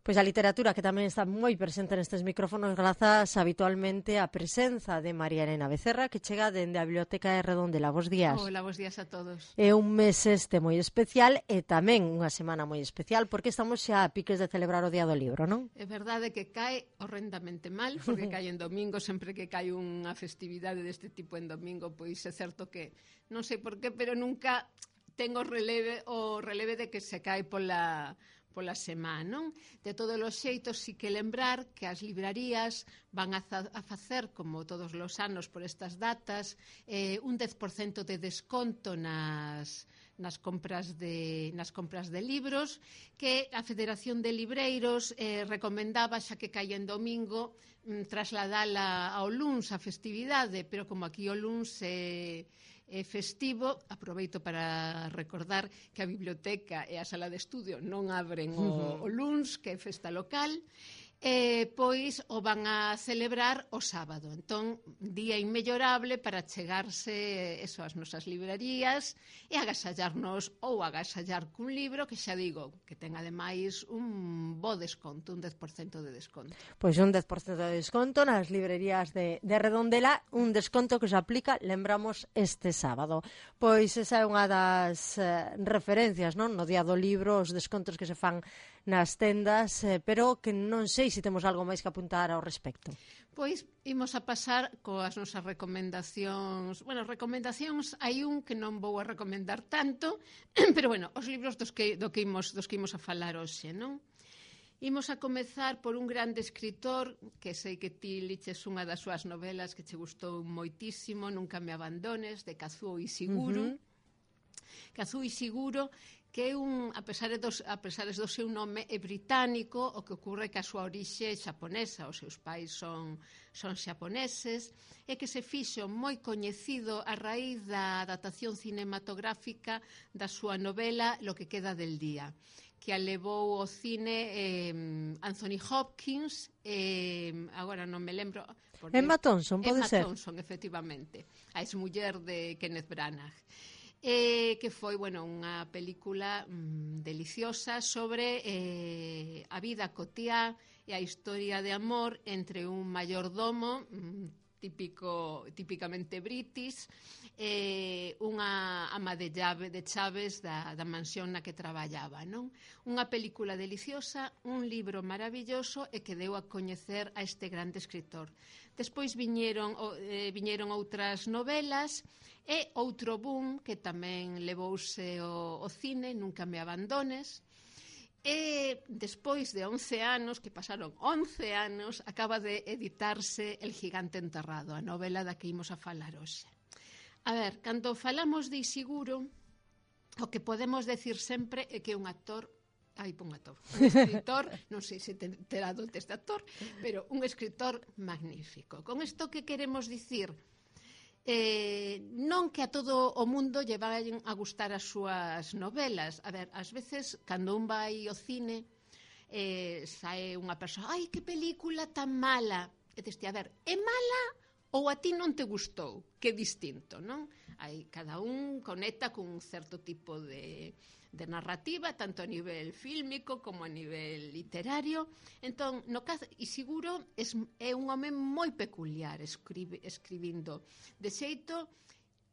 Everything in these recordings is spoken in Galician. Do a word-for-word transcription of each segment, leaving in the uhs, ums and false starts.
Pois a literatura que tamén está moi presente nestes micrófonos grazas habitualmente á presenza de María Elena Becerra que chega dende a Biblioteca de Redondela. Bos días. Hola, bos días a todos. É un mes este moi especial e tamén unha semana moi especial porque estamos xa a piques de celebrar o Día do Libro, non? É verdade que cae horrendamente mal porque cae en domingo, sempre que cae unha festividade deste tipo en domingo, pois é certo que non sei por qué, pero nunca tengo releve o releve de que se cae pola pola semana, non? De todos os xeitos, si que lembrar que as librarías van a, a facer, como todos os anos por estas datas, eh, un dez por cento de desconto nas, nas, compras de, nas compras de libros, que a Federación de Libreiros eh, recomendaba, xa que caía en domingo, mm, trasladala ao luns a festividade, pero como aquí o luns é... Eh, é festivo, aproveito para recordar que a biblioteca e a sala de estudio non abren o, o luns, que é festa local, e pois o van a celebrar o sábado. Entón, día inmellorable para chegarse eso ás nosas librarías e agasallarnos ou agasallar cun libro que xa digo, que ten ademais un bo desconto, un dez por cento de desconto. Pois un dez por cento de desconto nas librerías de, de Redondela, un desconto que se aplica, lembramos, este sábado. Pois esa é unha das eh, referencias, non? No Día do Libro, os descontos que se fan nas tendas, eh, pero que non sei se temos algo máis que apuntar ao respecto. Pois imos a pasar coas nosas recomendacións. Bueno, recomendacións hai un que non vou a recomendar tanto, pero bueno, os libros dos que, do que imos, dos que imos a falar hoxe, non? Imos a comezar por un grande escritor, que sei que ti liches unha das súas novelas que che gustou moitísimo, Nunca me abandones, de Kazuo Ishiguro. Uh-huh. Kazuo Ishiguro, que é un, a pesar dos, a pesar do seu nome, é británico, o que ocorre que a súa orixe é xaponesa, os seus pais son, son xaponeses, e que se fixo moi coñecido a raíz da adaptación cinematográfica da súa novela Lo que queda del día, que a levou ao cine eh, Anthony Hopkins, eh, agora non me lembro... Emma Thompson, pode Emma ser? Emma Thompson, efectivamente, a exmuller de Kenneth Branagh. Eh, que foi, bueno, unha película mm, deliciosa sobre eh, a vida cotiá e a historia de amor entre un mayordomo mm, típico, típicamente british e eh, unha ama de, llave, de chaves da, da mansión na que traballaba, non? Unha película deliciosa, un libro maravilloso e que deu a coñecer a este grande escritor. Despois viñeron, eh, viñeron outras novelas e outro boom que tamén levouse o, o cine, Nunca me abandones. E despois de once anos, que pasaron once anos, acaba de editarse El gigante enterrado, a novela da que imos a falar hoxe. A ver, cando falamos de Ishiguro, o que podemos decir sempre é que é un actor, ai, un actor, un escritor, non sei se terá dotes de actor, pero un escritor magnífico. Con isto que queremos dicir? Eh, non que a todo o mundo lle vayan a gustar as súas novelas. A ver, ás veces, cando un vai ao cine, eh, sae unha persoa, ai, que película tan mala. E deste, a ver, é mala ou a ti non te gustou? Que distinto, non? Hai, cada un conecta con un certo tipo de... de narrativa, tanto a nivel fílmico como a nivel literario. Entón, no caso, Ishiguro es, é un home moi peculiar escribe, escribindo. De xeito,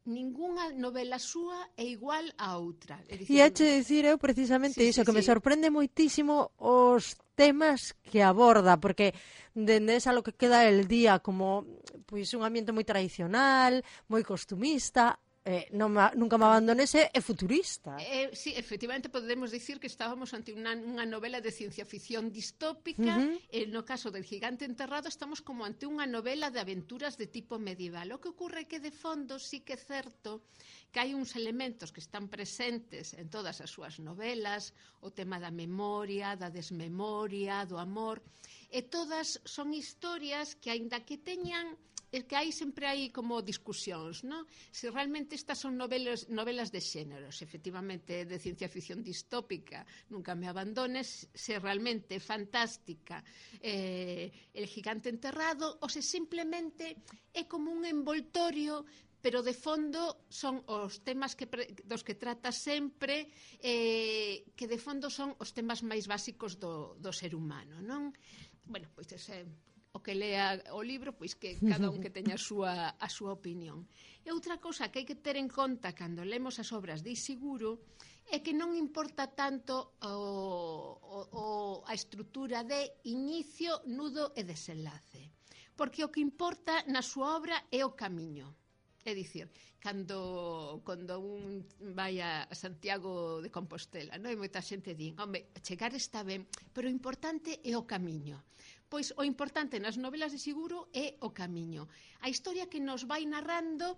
ningunha novela súa é igual a outra. É dicir, e heche dicir eu precisamente sí, iso, sí, que sí. me sorprende moitísimo os temas que aborda, porque dende esa Lo que queda el día como pois un ambiente moi tradicional, moi costumista, Eh, non ma, Nunca me abandones é futurista. Eh, sí, efectivamente podemos dicir que estábamos ante unha, unha novela de ciencia ficción distópica. Uh-huh. E no caso del gigante enterrado estamos como ante unha novela de aventuras de tipo medieval. O que ocorre é que de fondo sí que é certo que hai uns elementos que están presentes en todas as súas novelas, o tema da memoria, da desmemoria, do amor, e todas son historias que, aínda que teñan é que hai sempre hai como discusións, non? Se realmente estas son novelas, novelas de xéneros, efectivamente de ciencia ficción distópica, Nunca me abandones, se realmente é fantástica, eh, El gigante enterrado, ou se simplemente é como un envoltorio pero de fondo son os temas que pre, dos que trata sempre, eh, que de fondo son os temas máis básicos do, do ser humano, non? Bueno, pois ese, o que lea o libro, pois que cada un que teña a súa, a súa opinión. E outra cousa que hai que ter en conta cando lemos as obras de Ishiguro é que non importa tanto o, o, o, a estrutura de inicio, nudo e desenlace. Porque o que importa na súa obra é o camiño. É dicir, cando, cando un vai a Santiago de Compostela, non? E moita xente di, home, chegar está ben, pero o importante é o camiño. Pois o importante nas novelas de Ishiguro é o camiño. A historia que nos vai narrando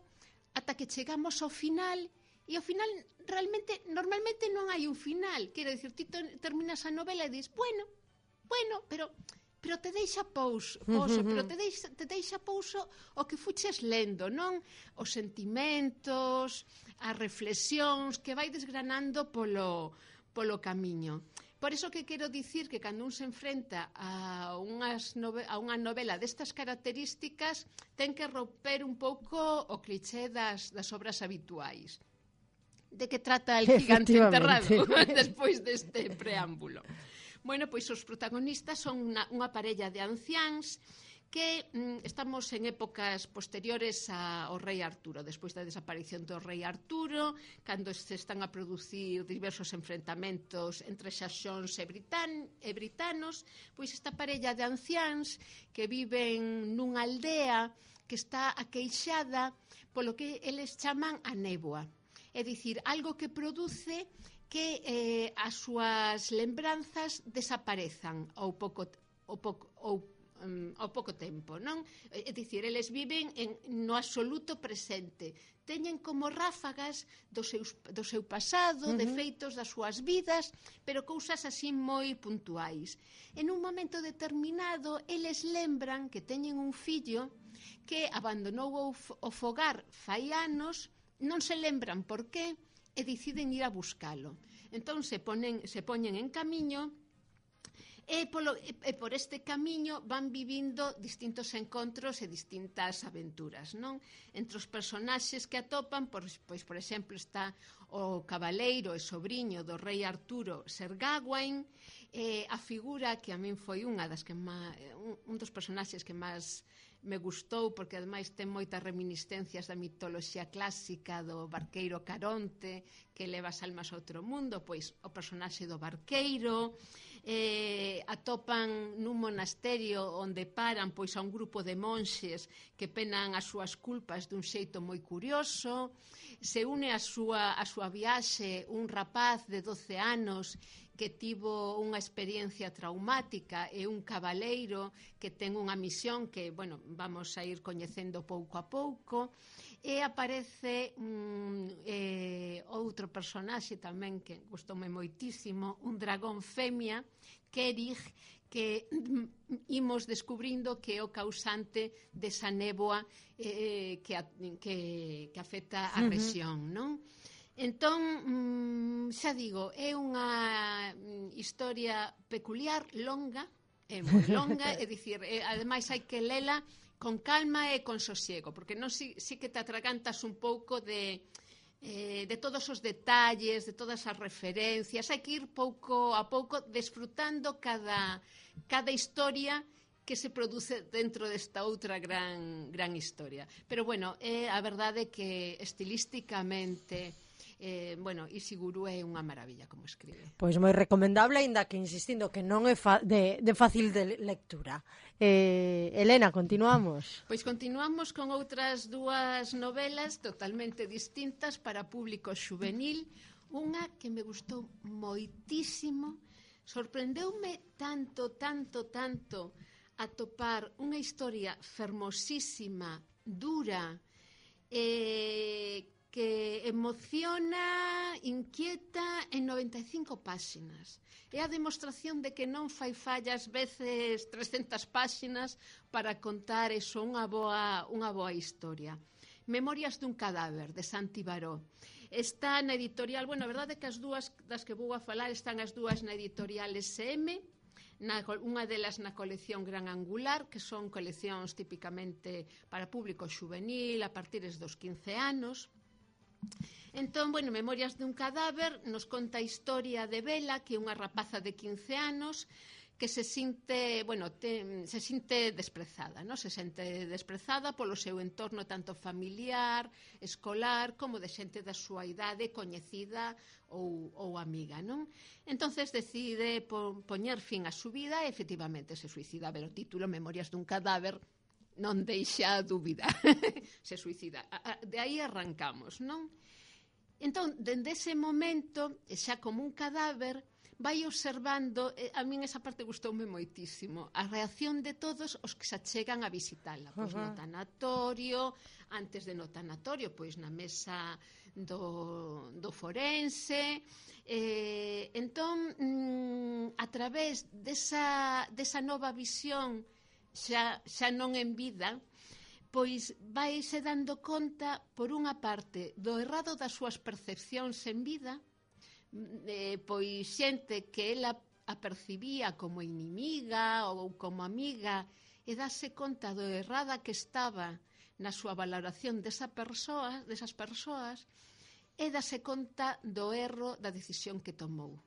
ata que chegamos ao final. E ao final, realmente, normalmente non hai un final. Quero dicir, ti terminas a novela e dis, bueno, bueno, pero pero te deixa pouso, pouso pero te deixa, te deixa pouso o que fuches lendo, non? Os sentimentos, as reflexións que vai desgranando polo, polo camiño. Por iso que quero dicir que cando un se enfrenta a, unhas nove, a unha novela destas características, ten que romper un pouco o cliché das, das obras habituais. De que trata el gigante enterrado despois deste preámbulo. Bueno, pois os protagonistas son unha, unha parella de anciáns que mm, estamos en épocas posteriores ao rei Arturo, despois da desaparición do rei Arturo, cando se están a producir diversos enfrentamentos entre xaxóns e, britan, e britanos, pois esta parella de anciáns que viven nunha aldea que está aqueixada polo que eles chaman a néboa. É dicir, algo que produce que eh, as súas lembranzas desaparezan ao pouco, ao pouco, ao, um, ao pouco tempo, non? É dicir, eles viven en, no absoluto presente. Teñen como ráfagas do, seus, do seu pasado, uh -huh. de feitos das súas vidas, pero cousas así moi puntuais. En un momento determinado, eles lembran que teñen un fillo que abandonou o fogar fai anos, non se lembran por qué e deciden ir a buscalo. Entón se ponen, se poñen en camiño e, polo, e por este camiño van vivindo distintos encontros e distintas aventuras, non? Entre os personaxes que atopan, por, pois, por exemplo, está o cabaleiro e sobriño do rei Arturo, Ser Gawain, eh, a figura que a min foi unha das que má, un, un dos personaxes que máis me gustou, porque ademais ten moitas reminiscencias da mitoloxía clásica do barqueiro Caronte que leva as almas a outro mundo, pois o personaxe do barqueiro, eh, atopan nun monasterio onde paran pois a un grupo de monxes que penan as súas culpas dun xeito moi curioso, se une a súa, a súa viaxe un rapaz de doce anos que tivo unha experiencia traumática e un cabaleiro que ten unha misión que, bueno, vamos a ir coñecendo pouco a pouco, e aparece um, eh, outro personaxe tamén que gustoume moitísimo, un dragón femia, Kerig, que imos descubrindo que é o causante desa néboa eh, que, que, que afecta a rexión, non? Entón, xa digo, é unha historia peculiar, longa, é moi longa, é dicir, é, ademais hai que lela con calma e con sosiego, porque non si, si que te atragantas un pouco de, eh, de todos os detalles, de todas as referencias, hai que ir pouco a pouco desfrutando cada, cada historia que se produce dentro desta outra gran, gran historia. Pero, bueno, é a verdade que estilísticamente... Eh, bueno, Ishiguro é unha maravilla como escribe. Pois moi recomendable, aínda que insistindo que non é fa de, de fácil de lectura. eh, Elena, continuamos? Pois continuamos con outras dúas novelas totalmente distintas para público xuvenil. Unha que me gustou moitísimo, sorprendeume tanto, tanto, tanto atopar unha historia fermosísima, dura, eh, que emociona, inquieta en noventa e cinco páxinas. É a demostración de que non fai fallas veces trescentas páxinas para contar eso, unha boa, unha boa historia. Memorias dun cadáver, de Santi Baró. Está na editorial, bueno, a verdade é que as dúas das que vou a falar están as dúas na editorial S M, na, unha delas na colección Gran Angular, que son coleccións típicamente para público xuvenil a partir dos quince anos. Entón, bueno, Memorias dun cadáver nos conta a historia de Bela, que é unha rapaza de quince anos que se sinte, bueno, te, se sinte desprezada, ¿no? Se sente desprezada polo seu entorno tanto familiar, escolar, como de xente da súa idade coñecida ou, ou amiga, non? Entonces decide po, poñer fin á súa vida e efectivamente se suicida. Pero o título Memorias dun cadáver non deixa dúbida. Se suicida. De aí arrancamos, non? Entón, dende ese momento, xa como un cadáver, vai observando, a min esa parte gustoume moitísimo, a reacción de todos os que se achegan a visitala, pois uh -huh. no tanatorio, antes de no tanatorio, pois na mesa do, do forense, eh, entón, mm, a través desa, desa nova visión, xa, xa non en vida, pois vaise dando conta, por unha parte, do errado das súas percepcións en vida, Eh, pois xente que ela apercibía como inimiga ou como amiga e dase conta do errada que estaba na súa valoración desa persoa, desas persoas e dase conta do erro da decisión que tomou.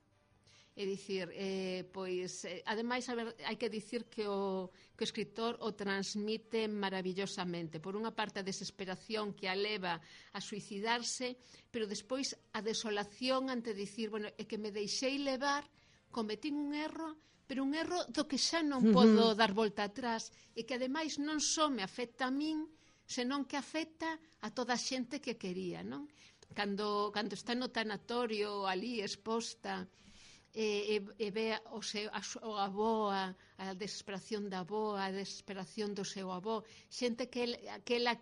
É dicir, eh, pois, eh, ademais, a ver, hai que dicir que o, que o escritor o transmite maravillosamente. Por unha parte, a desesperación que a leva a suicidarse, pero despois a desolación ante dicir, bueno, é que me deixei levar, cometín un erro, pero un erro do que xa non podo dar volta atrás, e que ademais non só me afecta a min, senón que afecta a toda a xente que quería, non? Cando, cando está no tanatorio ali exposta, e, e, e ve o, seu, a, o aboa, a desesperación da aboa, a desesperación do seu avó, xente que, el, que ela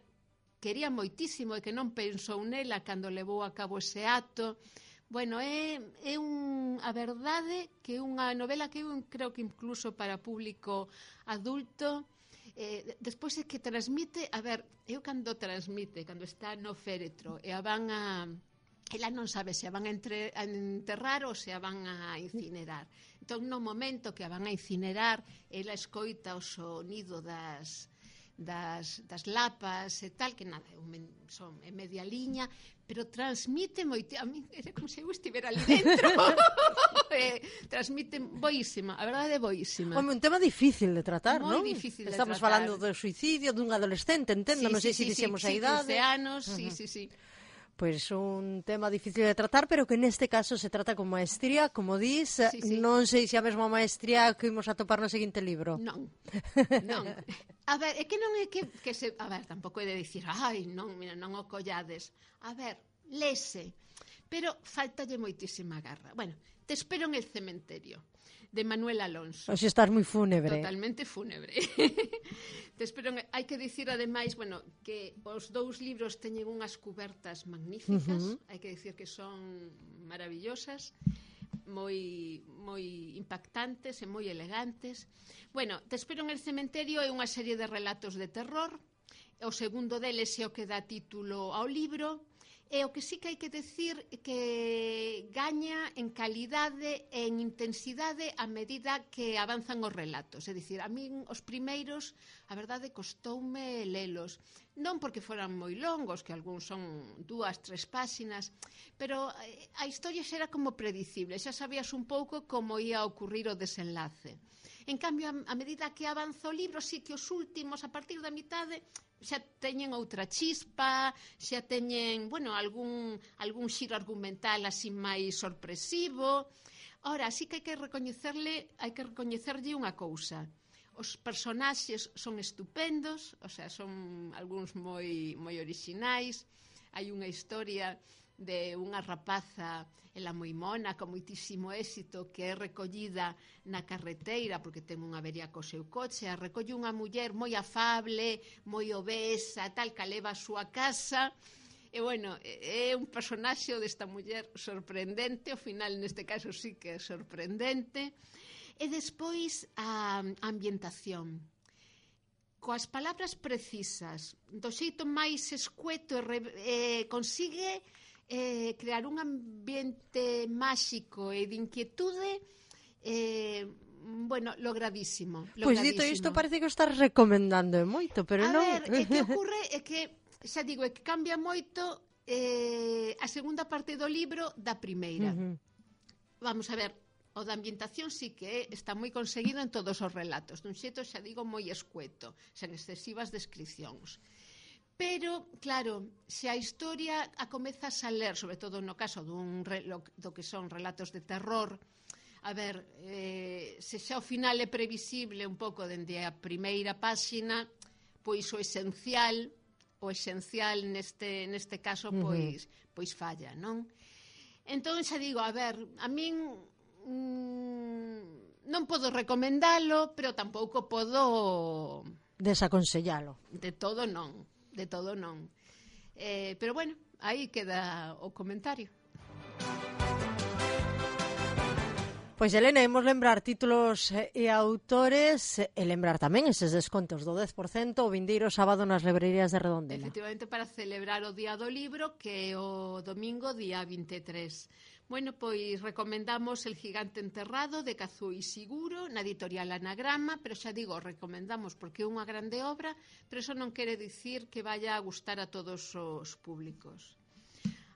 quería moitísimo e que non pensou nela cando levou a cabo ese acto. Bueno, é, é un, a verdade que é unha novela que eu creo que incluso para público adulto, eh, despois é que transmite, a ver, eu cando transmite, cando está no féretro e a van a... ela non sabe se a van a, entre, a enterrar ou se a van a incinerar. Entón, no momento que a van a incinerar, ela escoita o sonido das, das, das lapas e tal, que nada, son en media liña, pero transmite moito, a mí é como se eu estivera ali dentro. eh, transmite boísima, a verdade é boísima. Home, un tema difícil de tratar, non? Moi difícil de Estamos tratar. falando do suicidio dun adolescente, entendo, sí, non sei sí, se sí, dixemos sí, a idade. quince anos, uh -huh. sí, sí, sí. Pois un tema difícil de tratar, pero que neste caso se trata con maestría, como dis, sí, sí. Non sei se a mesma maestría que imos a topar no seguinte libro. Non, non. A ver, é que non é que, que se... A ver, tampouco é de dicir, ai, non, mira, non o collades. A ver, lese, pero faltalle moitísima garra. Bueno, Te espero en el cementerio, de Manuel Alonso. Oxe, estás moi fúnebre. Totalmente fúnebre. Te espero en... Hai que dicir, ademais, bueno, que os dous libros teñen unhas cubertas magníficas, uh -huh. hai que dicir que son maravillosas, moi moi impactantes e moi elegantes. Bueno, Te espero en el cementerio é unha serie de relatos de terror. O segundo deles é o que dá título ao libro. E o que sí que hai que decir que gaña en calidade e en intensidade a medida que avanzan os relatos. É dicir, a min os primeiros, a verdade, costoume lelos. Non porque foran moi longos, que algúns son dúas, tres páxinas, pero a historia xa era como predicible, xa sabías un pouco como ia ocurrir o desenlace. En cambio, a medida que avanza o libro, sí que os últimos, a partir da mitade, xa teñen outra chispa, xa teñen, bueno, algún, algún xiro argumental así máis sorpresivo. Ora, sí que hai que recoñecerle, hai que recoñecerlle unha cousa. Os personaxes son estupendos, o sea, son algúns moi moi orixinais. Hai unha historia de unha rapaza, ela moi mona, con moitísimo éxito, que é recollida na carreteira porque ten unha avería co seu coche, a recolle unha muller moi afable, moi obesa, tal, que a leva a súa casa. E, bueno, é un personaxe desta muller sorprendente, ao final, neste caso, sí que é sorprendente. E despois, a ambientación. Coas palabras precisas, do xeito máis escueto, e eh, consigue eh, crear un ambiente máxico e de inquietude eh, bueno, logradísimo. Pois pues dito isto parece que o estás recomendando moito, pero a non... A ver, o que ocurre é que, xa digo, é que cambia moito eh, a segunda parte do libro da primeira. Uh -huh. Vamos a ver, o da ambientación sí que está moi conseguido en todos os relatos, dun xeito, xa digo, moi escueto, sen excesivas descripcións. Pero, claro, se a historia a comezas a ler, sobre todo no caso dun, do que son relatos de terror, a ver, eh, se xa ao final é previsible un pouco dende a primeira páxina, pois o esencial, o esencial neste, neste caso, pois, uh-huh. pois falla, non? Entón, xa digo, a ver, a min mmm, non podo recomendalo, pero tampouco podo... desaconsellalo. De todo non. De todo non. Eh, pero bueno, aí queda o comentario. Pois, Elena, imos lembrar títulos e autores e lembrar tamén eses descontos do dez por cento o vindeiro sábado nas librerías de Redondela. Efectivamente, para celebrar o Día do Libro, que é o domingo, día vinte e tres. Bueno, pois recomendamos El gigante enterrado, de Kazuo Ishiguro, na editorial Anagrama, pero xa digo, recomendamos porque é unha grande obra, pero eso non quere dicir que vaya a gustar a todos os públicos.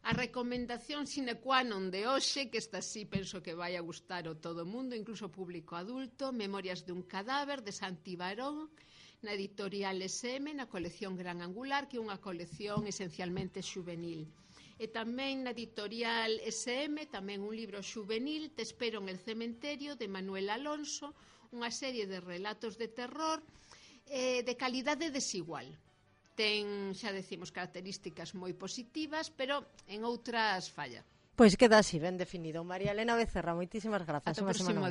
A recomendación sine qua non de hoxe, que esta sí penso que vai a gustar a todo o mundo, incluso o público adulto, Memorias de un cadáver, de Santi Barón, na editorial S M, na colección Gran Angular, que é unha colección esencialmente xuvenil. E tamén na editorial S M, tamén un libro xuvenil, Te espero en el cementerio, de Manuel Alonso, unha serie de relatos de terror eh, de calidade desigual. Ten, xa decimos, características moi positivas, pero en outras falla. Pois queda así, ben definido. María Elena Becerra, moitísimas grazas. Ata o próximo.